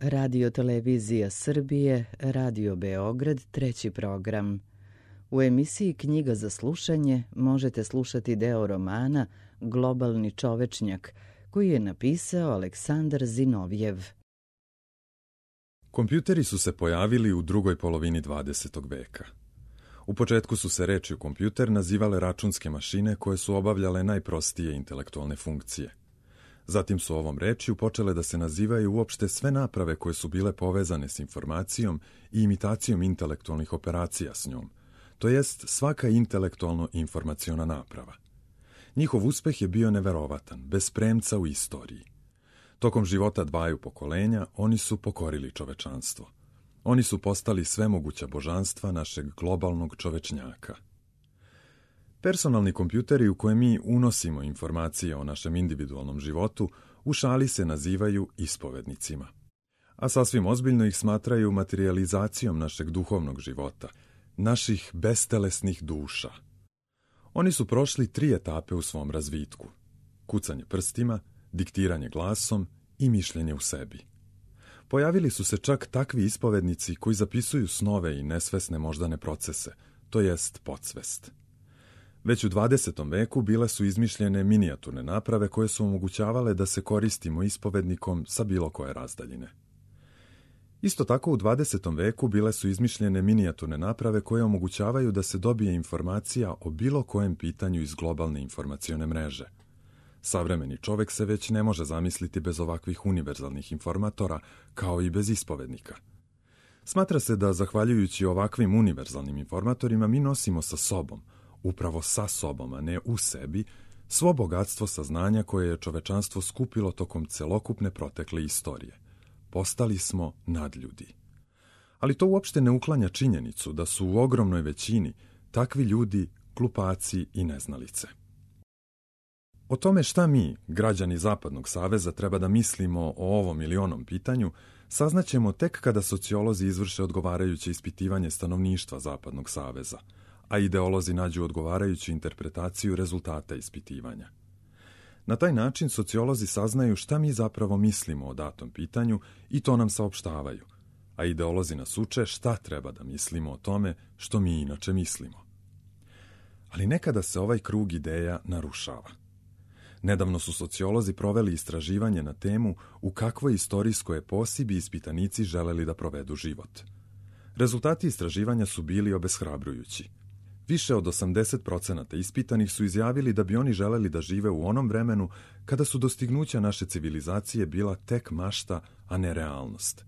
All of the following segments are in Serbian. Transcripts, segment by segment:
Radio Televizija Srbije, Radio Beograd, treći program. U emisiji Knjiga za slušanje možete slušati deo romana Globalni čovečnjak, koji je napisao Aleksandar Zinovjev. Kompjuteri su se pojavili u drugoj polovini 20. veka. U početku su se rečju kompjuter nazivale računske mašine koje su obavljale najprostije intelektualne funkcije. Zatim su ovom rečju počele da se nazivaju uopšte sve naprave koje su bile povezane s informacijom i imitacijom intelektualnih operacija s njom, to jest svaka intelektualno-informaciona naprava. Njihov uspeh je bio neverovatan, bez premca u istoriji. Tokom života dvaju pokolenja oni su pokorili čovečanstvo. Oni su postali svemoguća božanstva našeg globalnog čovečnjaka. Personalni kompjuteri u koje mi unosimo informacije o našem individualnom životu u šali se nazivaju ispovednicima. A sasvim ozbiljno ih smatraju materijalizacijom našeg duhovnog života, naših bestelesnih duša. Oni su prošli 3 etape u svom razvitku: kucanje prstima, diktiranje glasom i mišljenje u sebi. Pojavili su se čak takvi ispovednici koji zapisuju snove i nesvesne moždane procese, to jest podsvest. Već u 20. veku bile su izmišljene minijaturne naprave koje su omogućavale da se koristimo ispovednikom sa bilo koje razdaljine. Isto tako u 20. veku bile su izmišljene minijaturne naprave koje omogućavaju da se dobije informacija o bilo kojem pitanju iz globalne informacione mreže. Savremeni čovek se već ne može zamisliti bez ovakvih univerzalnih informatora, kao i bez ispovednika. Smatra se da, zahvaljujući ovakvim univerzalnim informatorima, mi nosimo sa sobom, upravo sa sobom, a ne u sebi, svo bogatstvo saznanja koje je čovečanstvo skupilo tokom celokupne protekle istorije. Postali smo nadljudi. Ali to uopšte ne uklanja činjenicu da su u ogromnoj većini takvi ljudi glupaci i neznalice. O tome šta mi, građani Zapadnog saveza, treba da mislimo o ovom ili onom pitanju, saznaćemo tek kada sociolozi izvrše odgovarajuće ispitivanje stanovništva Zapadnog saveza, a ideolozi nađu odgovarajuću interpretaciju rezultata ispitivanja. Na taj način sociolozi saznaju šta mi zapravo mislimo o datom pitanju i to nam saopštavaju, a ideolozi nas uče šta treba da mislimo o tome što mi inače mislimo. Ali nekada se ovaj krug ideja narušava. Nedavno su sociolozi proveli istraživanje na temu u kakvoj istorijskoj eposi bi ispitanici želeli da provedu život. Rezultati istraživanja su bili obeshrabrujući. Više od 80% ispitanih su izjavili da bi oni želeli da žive u onom vremenu kada su dostignuća naše civilizacije bila tek mašta, a ne realnost.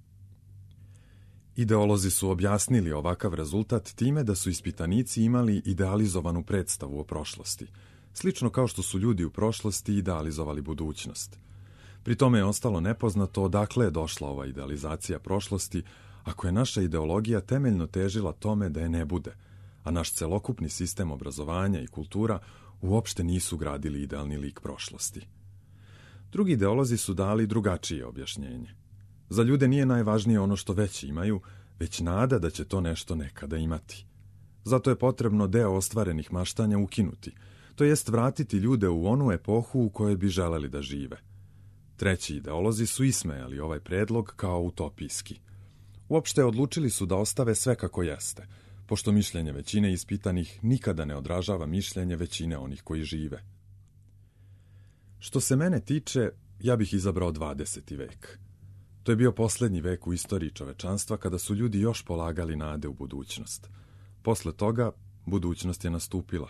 Ideolozi su objasnili ovakav rezultat time da su ispitanici imali idealizovanu predstavu o prošlosti, slično kao što su ljudi u prošlosti idealizovali budućnost. Pri tome je ostalo nepoznato odakle je došla ova idealizacija prošlosti, ako je naša ideologija temeljno težila tome da je ne bude, a naš celokupni sistem obrazovanja i kultura uopšte nisu gradili idealni lik prošlosti. Drugi ideolozi su dali drugačije objašnjenje. Za ljude nije najvažnije ono što već imaju, već nada da će to nešto nekada imati. Zato je potrebno deo ostvarenih maštanja ukinuti, to jest vratiti ljude u onu epohu u kojoj bi želeli da žive. Treći ideolozi su ismejali ovaj predlog kao utopijski. Uopšte odlučili su da ostave sve kako jeste, pošto mišljenje većine ispitanih nikada ne odražava mišljenje većine onih koji žive. Što se mene tiče, ja bih izabrao 20. vek. To je bio poslednji vek u istoriji čovečanstva kada su ljudi još polagali nade u budućnost. Posle toga, budućnost je nastupila,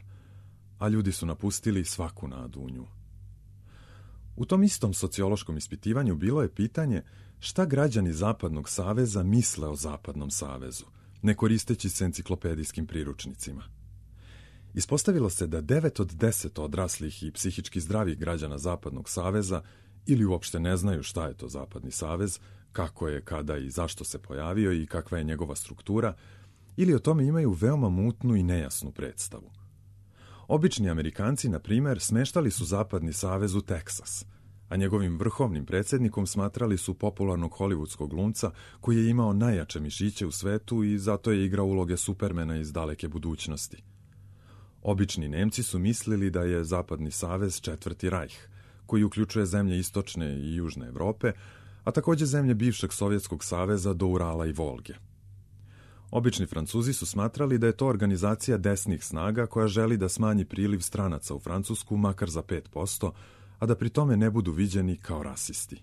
a ljudi su napustili svaku nadu u nju. U tom istom sociološkom ispitivanju bilo je pitanje šta građani Zapadnog saveza misle o Zapadnom savezu, ne koristeći se enciklopedijskim priručnicima. Ispostavilo se da 9 od 10 odraslih i psihički zdravih građana Zapadnog saveza ili uopšte ne znaju šta je to Zapadni savez, kako je, kada i zašto se pojavio i kakva je njegova struktura, ili o tome imaju veoma mutnu i nejasnu predstavu. Obični Amerikanci, na primer, smeštali su Zapadni savez u Teksas, a njegovim vrhovnim predsjednikom smatrali su popularnog hollywoodskog glumca koji je imao najjače mišiće u svetu i zato je igrao uloge Supermana iz daleke budućnosti. Obični Nemci su mislili da je Zapadni savez Četvrti rajh, koji uključuje zemlje istočne i južne Evrope, a također zemlje bivšeg Sovjetskog saveza do Urala i Volge. Obični Francuzi su smatrali da je to organizacija desnih snaga koja želi da smanji priliv stranaca u Francusku makar za 5%, a da pri tome ne budu viđeni kao rasisti.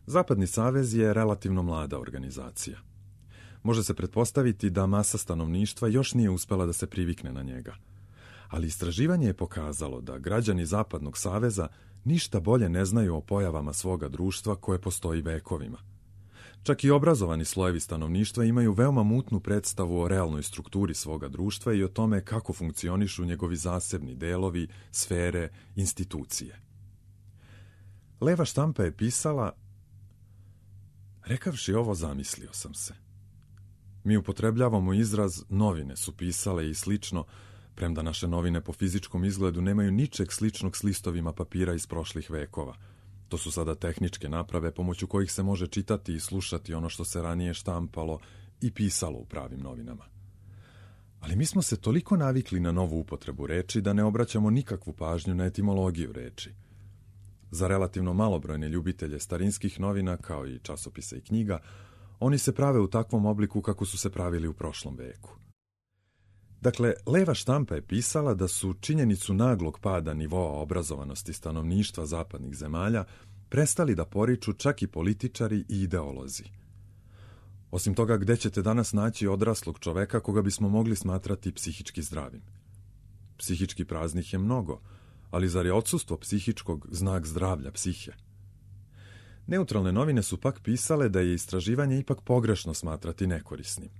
Zapadni savez je relativno mlada organizacija. Može se pretpostaviti da masa stanovništva još nije uspela da se privikne na njega. Ali istraživanje je pokazalo da građani Zapadnog saveza ništa bolje ne znaju o pojavama svoga društva koje postoji vekovima. Čak i obrazovani slojevi stanovništva imaju veoma mutnu predstavu o realnoj strukturi svoga društva i o tome kako funkcionišu njegovi zasebni delovi, sfere, institucije. Leva štampa je pisala: rekavši ovo, zamislio sam se. Mi upotrebljavamo izraz novine su pisale i slično, premda naše novine po fizičkom izgledu nemaju ničeg sličnog s listovima papira iz prošlih vekova. To su sada tehničke naprave pomoću kojih se može čitati i slušati ono što se ranije štampalo i pisalo u pravim novinama. Ali mi smo se toliko navikli na novu upotrebu reči da ne obraćamo nikakvu pažnju na etimologiju reči. Za relativno malobrojne ljubitelje starinskih novina, kao i časopisa i knjiga, oni se prave u takvom obliku kako su se pravili u prošlom veku. Dakle, leva štampa je pisala da su činjenicu naglog pada nivoa obrazovanosti stanovništva zapadnih zemalja prestali da poriču čak i političari i ideolozi. Osim toga, gde ćete danas naći odraslog čoveka koga bismo mogli smatrati psihički zdravim? Psihički praznih je mnogo, ali zar je odsustvo psihičkog znak zdravlja psihe? Neutralne novine su pak pisale da je istraživanje ipak pogrešno smatrati nekorisnim.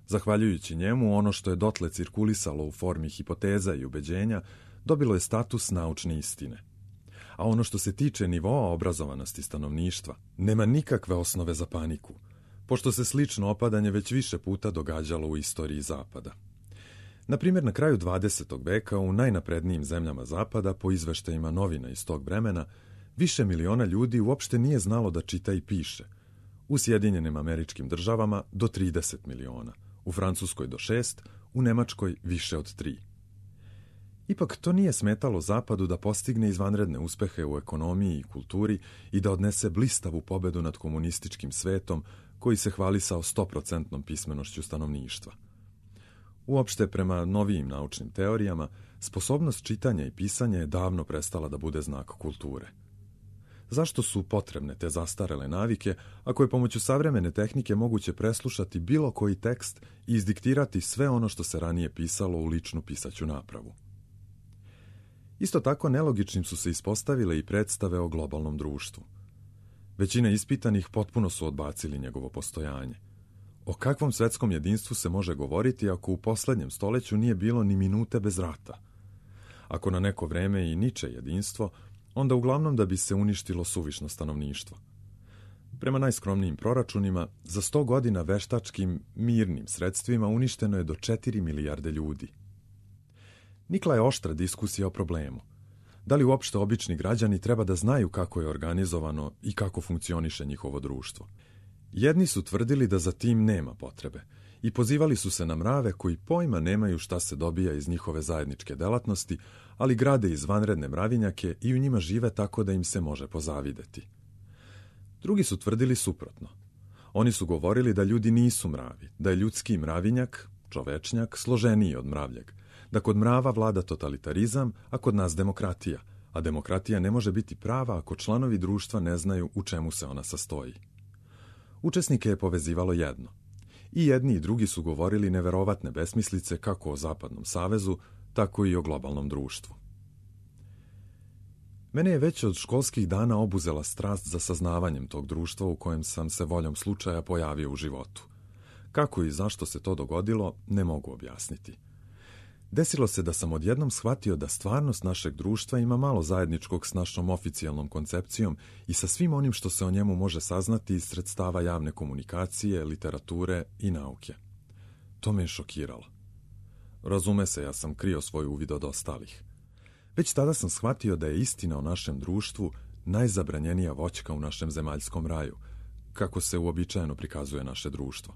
Zahvaljujući njemu, ono što je dotle cirkulisalo u formi hipoteza i ubeđenja dobilo je status naučne istine. A ono što se tiče nivoa obrazovanosti stanovništva nema nikakve osnove za paniku, pošto se slično opadanje već više puta događalo u istoriji Zapada. Na primjer, na kraju 20. veka u najnaprednijim zemljama Zapada, po izveštajima novina iz tog vremena, više miliona ljudi uopšte nije znalo da čita i piše. U Sjedinjenim Američkim Državama do 30 miliona, u Francuskoj do 6, u Nemačkoj više od 3. Ipak to nije smetalo Zapadu da postigne izvanredne uspehe u ekonomiji i kulturi i da odnese blistavu pobedu nad komunističkim svetom koji se hvalisao 100% pismenošću stanovništva. Uopšte, prema novijim naučnim teorijama, sposobnost čitanja i pisanja je davno prestala da bude znak kulture. Zašto su potrebne te zastarele navike, ako je pomoću savremene tehnike moguće preslušati bilo koji tekst i izdiktirati sve ono što se ranije pisalo u ličnu pisaću napravu? Isto tako nelogičnim su se ispostavile i predstave o globalnom društvu. Većina ispitanih potpuno su odbacili njegovo postojanje. O kakvom svetskom jedinstvu se može govoriti ako u poslednjem stoleću nije bilo ni minute bez rata? Ako na neko vreme i niče jedinstvo, onda uglavnom da bi se uništilo suvišno stanovništvo. Prema najskromnijim proračunima, za 100 godina veštačkim, mirnim sredstvima uništeno je do 4 milijarde ljudi. Nikla je oštra diskusija o problemu. Da li uopšte obični građani treba da znaju kako je organizovano i kako funkcioniše njihovo društvo? Jedni su tvrdili da za tim nema potrebe i pozivali su se na mrave koji pojma nemaju šta se dobija iz njihove zajedničke delatnosti, ali grade izvanredne mravinjake i u njima žive tako da im se može pozavideti. Drugi su tvrdili suprotno. Oni su govorili da ljudi nisu mravi, da je ljudski mravinjak, čovečnjak, složeniji od mravljeg, da kod mrava vlada totalitarizam, a kod nas demokratija, a demokratija ne može biti prava ako članovi društva ne znaju u čemu se ona sastoji. Učesnike je povezivalo jedno. I jedni i drugi su govorili neverovatne besmislice kako o Zapadnom savezu, tako i o globalnom društvu. Mene je već od školskih dana obuzela strast za saznavanjem tog društva u kojem sam se voljom slučaja pojavio u životu. Kako i zašto se to dogodilo, ne mogu objasniti. Desilo se da sam odjednom shvatio da stvarnost našeg društva ima malo zajedničkog s našom oficijalnom koncepcijom i sa svim onim što se o njemu može saznati iz sredstava javne komunikacije, literature i nauke. To me je šokiralo. Razume se, ja sam krio svoj uvid od ostalih. Već tada sam shvatio da je istina o našem društvu najzabranjenija voćka u našem zemaljskom raju, kako se uobičajeno prikazuje naše društvo.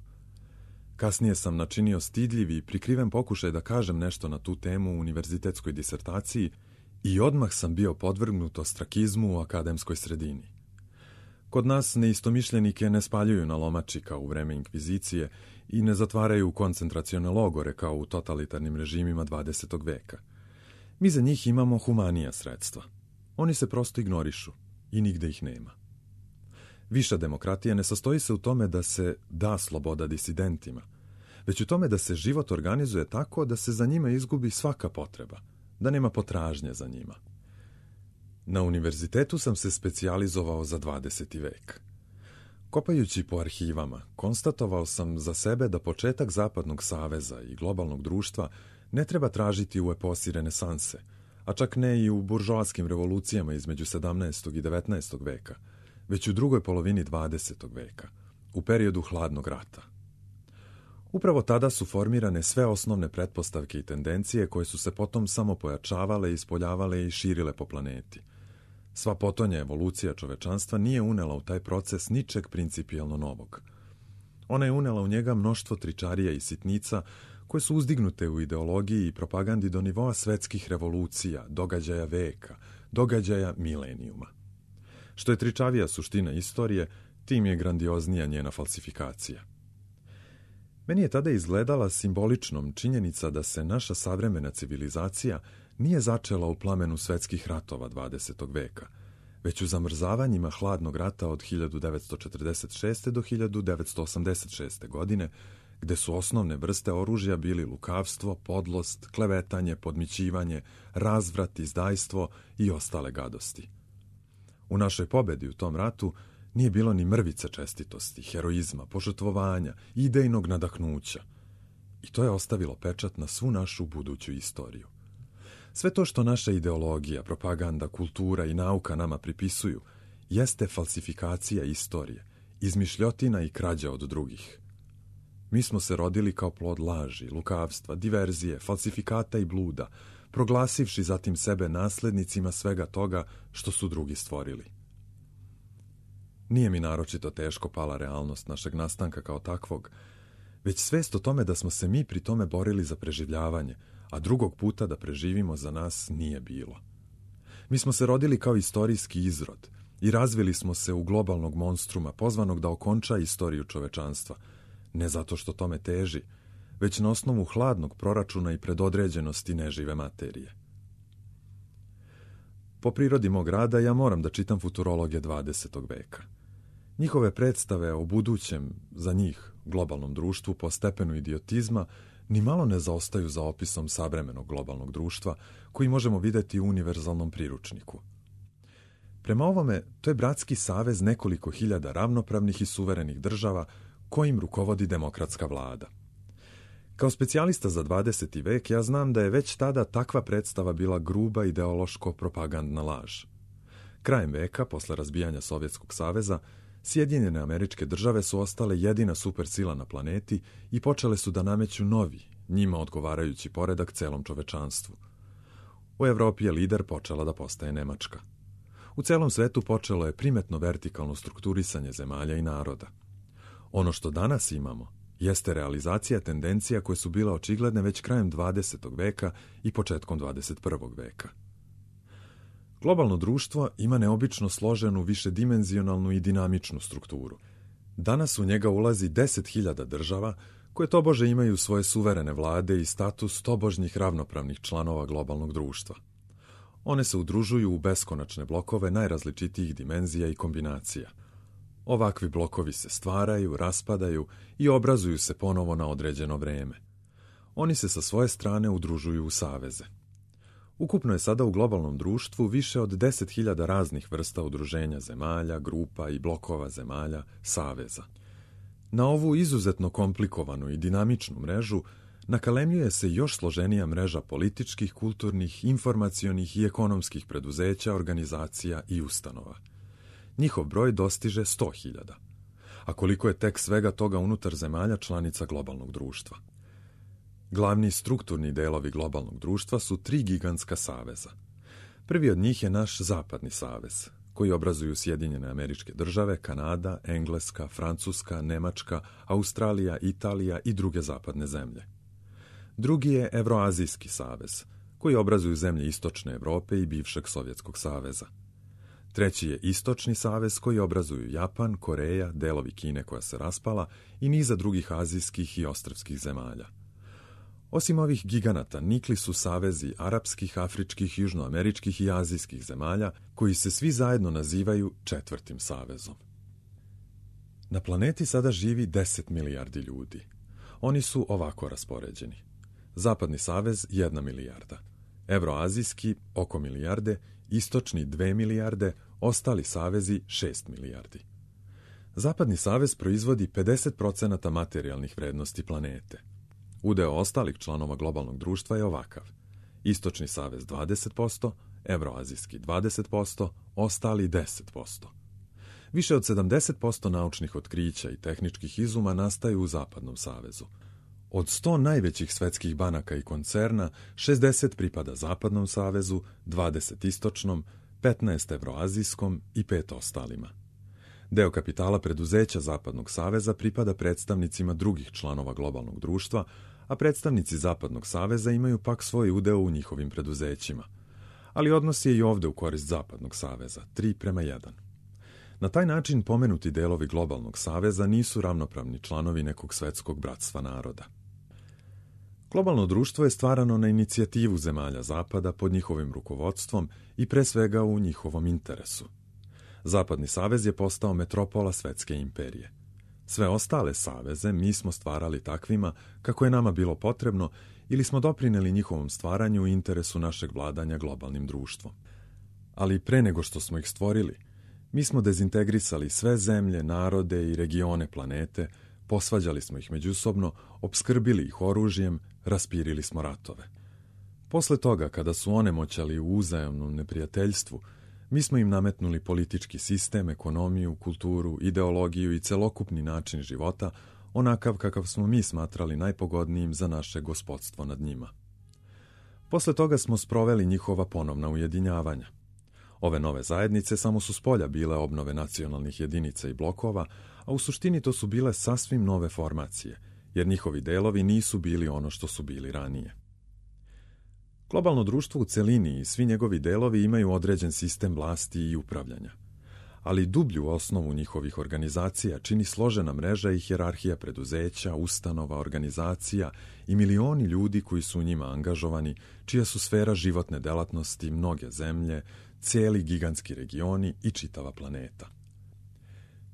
Kasnije sam načinio stidljivi i prikriven pokušaj da kažem nešto na tu temu u univerzitetskoj disertaciji i odmah sam bio podvrgnut ostrakizmu u akademskoj sredini. Kod nas neistomišljenike ne spaljuju na lomači kao u vreme inkvizicije i ne zatvaraju u koncentracione logore kao u totalitarnim režimima 20. veka. Mi za njih imamo humanija sredstva. Oni se prosto ignorišu i nigde ih nema. Viša demokratija ne sastoji se u tome da se da sloboda disidentima, već u tome da se život organizuje tako da se za njima izgubi svaka potreba, da nema potražnje za njima. Na univerzitetu sam se specijalizovao za 20. vek. Kopajući po arhivama, konstatovao sam za sebe da početak Zapadnog saveza i globalnog društva ne treba tražiti u eposi renesanse, a čak ne i u buržoaskim revolucijama između 17. i 19. veka, već u drugoj polovini 20. veka, u periodu hladnog rata. Upravo tada su formirane sve osnovne pretpostavke i tendencije koje su se potom samo pojačavale, ispoljavale i širile po planeti. Sva potonja evolucija čovečanstva nije unela u taj proces ničeg principijelno novog. Ona je unela u njega mnoštvo tričarija i sitnica koje su uzdignute u ideologiji i propagandi do nivoa svetskih revolucija, događaja veka, događaja milenijuma. Što je tričavija suština istorije, tim je grandioznija njena falsifikacija. Meni je tada izgledala simboličnom činjenica da se naša savremena civilizacija nije začela u plamenu svetskih ratova 20. veka, već u zamrzavanjima hladnog rata od 1946. do 1986. godine, gde su osnovne vrste oružja bili lukavstvo, podlost, klevetanje, podmićivanje, razvrat, izdajstvo i ostale gadosti. U našoj pobedi u tom ratu nije bilo ni mrvice čestitosti, heroizma, požrtvovanja, idejnog nadahnuća. I to je ostavilo pečat na svu našu buduću istoriju. Sve to što naša ideologija, propaganda, kultura i nauka nama pripisuju, jeste falsifikacija istorije, izmišljotina i krađa od drugih. Mi smo se rodili kao plod laži, lukavstva, diverzije, falsifikata i bluda, proglasivši zatim sebe naslednicima svega toga što su drugi stvorili. Nije mi naročito teško pala realnost našeg nastanka kao takvog, već svest o tome da smo se mi pri tome borili za preživljavanje, a drugog puta da preživimo za nas nije bilo. Mi smo se rodili kao istorijski izrod i razvili smo se u globalnog monstruma pozvanog da okonča istoriju čovečanstva, ne zato što tome teži, već na osnovu hladnog proračuna i predodređenosti nežive materije. Po prirodi mog rada ja moram da čitam futurologe 20. veka. Njihove predstave o budućem, za njih, globalnom društvu po stepenu idiotizma ni malo ne zaostaju za opisom savremenog globalnog društva koji možemo videti u univerzalnom priručniku. Prema ovome, to je bratski savez nekoliko hiljada ravnopravnih i suverenih država kojim rukovodi demokratska vlada. Kao specijalista za 20. vek ja znam da je već tada takva predstava bila gruba ideološko-propagandna laž. Krajem veka, posle razbijanja Sovjetskog saveza, Sjedinjene Američke Države su ostale jedina supersila na planeti i počele su da nameću novi, njima odgovarajući poredak celom čovečanstvu. U Evropi je lider počela da postaje Nemačka. U celom svetu počelo je primetno vertikalno strukturisanje zemalja i naroda. Ono što danas imamo jeste realizacija tendencija koje su bile očigledne već krajem 20. veka i početkom 21. veka. Globalno društvo ima neobično složenu, višedimenzionalnu i dinamičnu strukturu. Danas u njega ulazi 10.000 država koje tobože imaju svoje suverene vlade i status tobožnjih ravnopravnih članova globalnog društva. One se udružuju u beskonačne blokove najrazličitijih dimenzija i kombinacija. Ovakvi blokovi se stvaraju, raspadaju i obrazuju se ponovo na određeno vreme. Oni se sa svoje strane udružuju u saveze. Ukupno je sada u globalnom društvu više od 10.000 raznih vrsta udruženja zemalja, grupa i blokova zemalja, saveza. Na ovu izuzetno komplikovanu i dinamičnu mrežu nakalemljuje se još složenija mreža političkih, kulturnih, informacionih i ekonomskih preduzeća, organizacija i ustanova. Njihov broj dostiže 100.000. A koliko je tek svega toga unutar zemalja članica globalnog društva? Glavni strukturni delovi globalnog društva su 3 gigantska saveza. Prvi od njih je naš Zapadni savez, koji obrazuju Sjedinjene Američke Države, Kanada, Engleska, Francuska, Nemačka, Australija, Italija i druge zapadne zemlje. Drugi je Evroazijski savez, koji obrazuju zemlje Istočne Evrope i bivšeg Sovjetskog saveza. Treći je Istočni savez koji obrazuju Japan, Koreja, delovi Kine koja se raspala i niza drugih azijskih i ostrvskih zemalja. Osim ovih giganata, nikli su savezi arapskih, afričkih, južnoameričkih i azijskih zemalja koji se svi zajedno nazivaju Četvrtim savezom. Na planeti sada živi 10 milijardi ljudi. Oni su ovako raspoređeni. Zapadni savez 1 milijarda, Evroazijski oko milijarde, Istočni 2 milijarde, ostali savezi 6 milijardi. Zapadni savez proizvodi 50% materijalnih vrednosti planete. Udeo ostalih članova globalnog društva je ovakav. Istočni savez 20%, Evroazijski 20%, ostali 10%. Više od 70% naučnih otkrića i tehničkih izuma nastaju u Zapadnom savezu. Od 100 najvećih svetskih banaka i koncerna, 60 pripada Zapadnom savezu, 20 Istočnom, 15 Evroazijskom i 5 ostalima. Deo kapitala preduzeća Zapadnog saveza pripada predstavnicima drugih članova globalnog društva, a predstavnici Zapadnog saveza imaju pak svoj udeo u njihovim preduzećima. Ali odnos je i ovde u korist Zapadnog saveza, 3:1. Na taj način pomenuti delovi globalnog saveza nisu ravnopravni članovi nekog svetskog bratstva naroda. Globalno društvo je stvarano na inicijativu zemalja Zapada pod njihovim rukovodstvom i pre svega u njihovom interesu. Zapadni savez je postao metropola svetske imperije. Sve ostale saveze mi smo stvarali takvima kako je nama bilo potrebno ili smo doprineli njihovom stvaranju u interesu našeg vladanja globalnim društvom. Ali pre nego što smo ih stvorili, mi smo dezintegrisali sve zemlje, narode i regione planete, posvađali smo ih međusobno, opskrbili ih oružjem, raspirili smo ratove. Posle toga, kada su onemoćali u uzajamnom neprijateljstvu, mi smo im nametnuli politički sistem, ekonomiju, kulturu, ideologiju i celokupni način života, onakav kakav smo mi smatrali najpogodnijim za naše gospodstvo nad njima. Posle toga smo sproveli njihova ponovna ujedinjavanja. Ove nove zajednice samo su spolja bile obnove nacionalnih jedinica i blokova, a u suštini to su bile sasvim nove formacije, jer njihovi delovi nisu bili ono što su bili ranije. Globalno društvo u celini i svi njegovi delovi imaju određen sistem vlasti i upravljanja, ali dublju osnovu njihovih organizacija čini složena mreža i hijerarhija preduzeća, ustanova, organizacija i milioni ljudi koji su u njima angažovani, čija su sfera životne delatnosti mnoge zemlje, cijeli gigantski regioni i čitava planeta.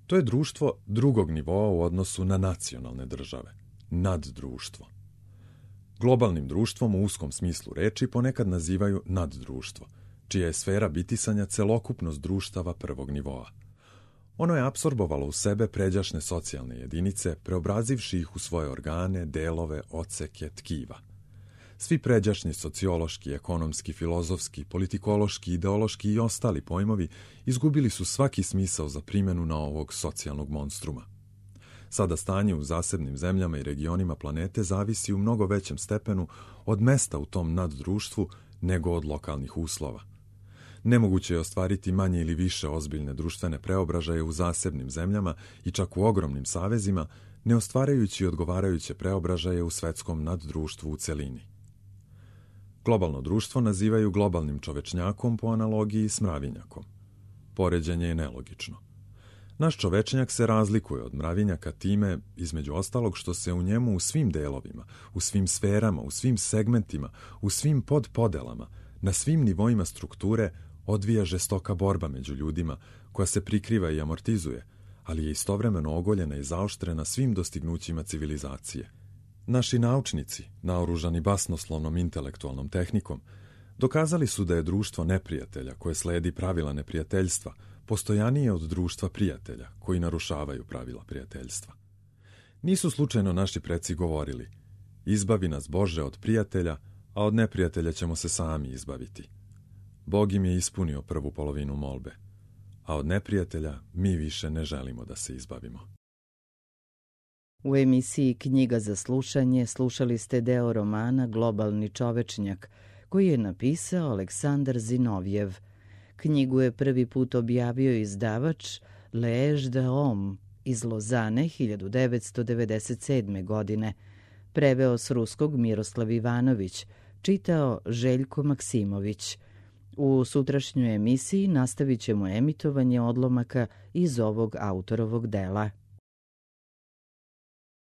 To je društvo drugog nivoa u odnosu na nacionalne države, naddruštvo. Globalnim društvom u uskom smislu reči ponekad nazivaju naddruštvo, čija je sfera bitisanja celokupnost društava prvog nivoa. Ono je apsorbovalo u sebe pređašne socijalne jedinice, preobrazivši ih u svoje organe, delove, odseke, tkiva. Svi pređašnji sociološki, ekonomski, filozofski, politikološki, ideološki i ostali pojmovi izgubili su svaki smisao za primjenu na ovog socijalnog monstruma. Sada stanje u zasebnim zemljama i regionima planete zavisi u mnogo većem stepenu od mesta u tom naddruštvu nego od lokalnih uslova. Nemoguće je ostvariti manje ili više ozbiljne društvene preobražaje u zasebnim zemljama i čak u ogromnim savezima, ne ostvarajući odgovarajuće preobražaje u svetskom naddruštvu u celini. Globalno društvo nazivaju globalnim čovečnjakom po analogiji s mravinjakom. Poređenje je nelogično. Naš čovečnjak se razlikuje od mravinjaka time, između ostalog, što se u njemu u svim delovima, u svim sferama, u svim segmentima, u svim podpodelama, na svim nivoima strukture odvija žestoka borba među ljudima koja se prikriva i amortizuje, ali je istovremeno ogoljena i zaoštrena svim dostignućima civilizacije. Naši naučnici, naoružani basnoslovnom intelektualnom tehnikom, dokazali su da je društvo neprijatelja koje sledi pravila neprijateljstva postojanije od društva prijatelja koji narušavaju pravila prijateljstva. Nisu slučajno naši preci govorili: izbavi nas Bože od prijatelja, a od neprijatelja ćemo se sami izbaviti. Bog im je ispunio prvu polovinu molbe, a od neprijatelja mi više ne želimo da se izbavimo. U emisiji Knjiga za slušanje slušali ste deo romana Globalni čovečnjak, koji je napisao Aleksandar Zinovjev. Knjigu je prvi put objavio izdavač L'Age de Homme iz Lozane 1997. godine. Preveo s ruskog Miroslav Ivanović, čitao Željko Maksimović. U sutrašnjoj emisiji nastavit ćemo emitovanje odlomaka iz ovog autorovog dela.